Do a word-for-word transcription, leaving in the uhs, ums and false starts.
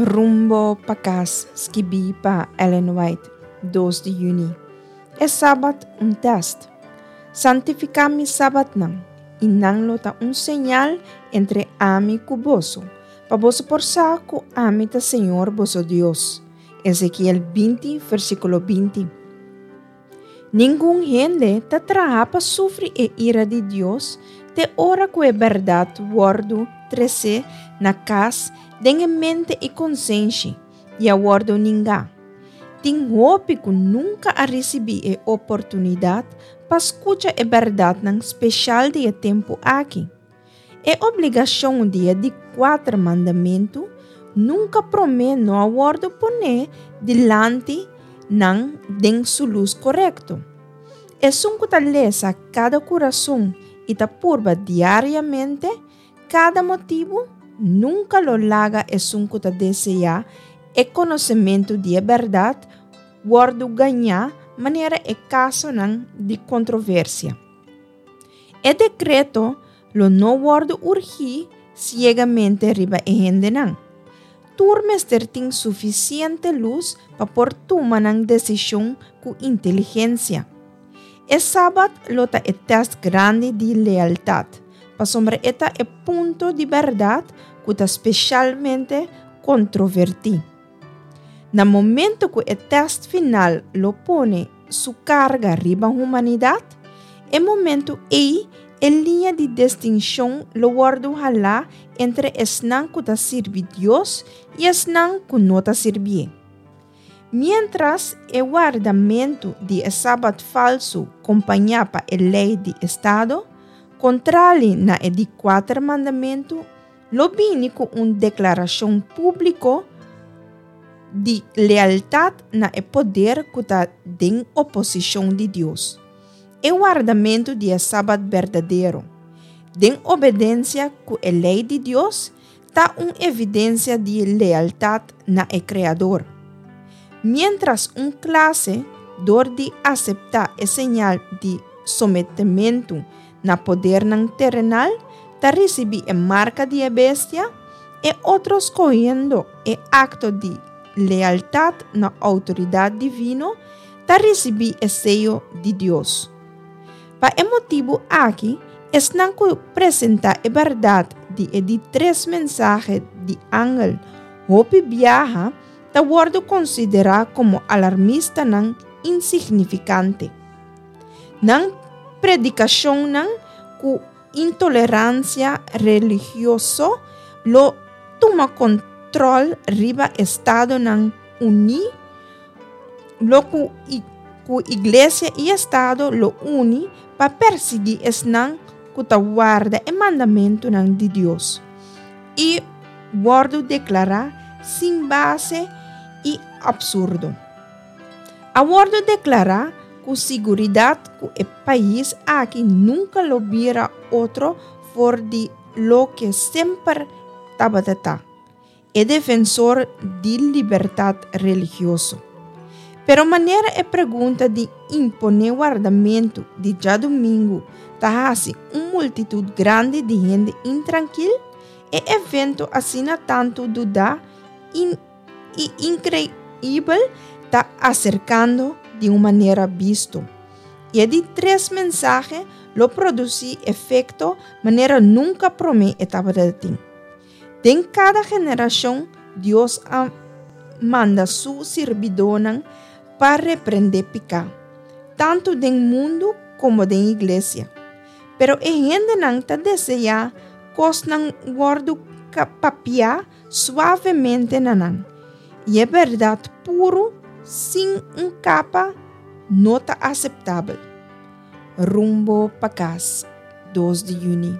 Rumbo pa kas, skibí pa Ellen White, dos di yüni. E Sabat un tèst. Santifiká mi sabatnan, i nan lo ta un señal entre ami ku boso, pa boso por sa ku ami ta Señor boso Dios. Ezekiel binti, versíkulo binti. Ningun hende ta traha pa sufri e ira di Dios te ora ku e bèrdat wòrdu tresé na kas den e mente i konsenshi i a wòrdu ningá. Tin hopi ku nunka a risibí e oportunidat pa skucha e bèrdatnan speshal di e tempu aki. E obligashon di e di kuater mandamentu nunka promé no a wòrdu poné dilanti nan den su lus korekto. Esun ku ta lesa kada kurason i ta purba diariamente kada motibu, nunka lo laga esun ku ta deseá e konosementu di e bèrdat wòrdu gañá manera e kasonan di kontroversia. E dekreto lo no wòrdu urgí siegamente riba e hendenan. Tur mester tin sufisiente lus pa por tuma nan desishon ku inteligensia. E Sabat lo ta e tèst grandi di lealtat, pasobra e ta e punto di bèrdat ku ta spesialmente kontrovertí. Na momento ku e tèst final lo pone su karga riba humanidat, e momento ei e liña di distinshon lo wòrdu halá entre esnan ku ta sirbi Dios i esnan ku no ta sirbié. Miéntras e wardamentu di e sabat falsu kompañá pa e lei di estado, kontrali na e di kuater mandamentu, lo bini ku un deklarashon públiko di lealtat na e poder ku ta den oposishon di Dios. E wardamentu di e sabat berdadero, den obedensia ku e lei di Dios, ta un evidensia di lealtat na e Kreador. Miéntras un klase, dor di aseptá e señal di sometementu na podernan terenal, ta risibí e marka di e bestia, e otro skohiendo e akto di lealtat na outoridat divino, ta risibí e seyo di Dios. Pa e motibu aki, esnan ku presentá e bèrdat di e di tres mensahe di angel hopi biaha ta wòrdu konsiderá komo alarmistanan insignifikante. Nan predikashonnan ku intoleransia religioso lo tuma kontròl riba Estadonan Uní, lo ku ku iglesia i estado lo uni pa persiguí esnan ku ta warda e mandamentunan di Dios i wòrdu deklará sin base i apsurdo. A wòrdu deklará ku siguridat ku e pais aki nunka lo bira otro for di loke semper tabata ta, e defensor di libertat religioso. Pero manera e pregunta di imponé wardamentu di djadumingu ta hasi un multitut grandi di hende intrankil, e evento asina tantu dudá i inkreibel ta aserkando di un manera bisto. I e di tres mensahe lo produsí efekto manera nunka promé e tabata tin. Den kada generashon Dios a manda su sirbidónan pa reprendé piká, tantu den mundu komo den iglesia. Pero e hendenan ta deseá kosnan wòrdu papiá suavemente na nan, i e bèrdat puru sin un kapa no ta aseptabel. Rumbo pa kas, dos di yüni.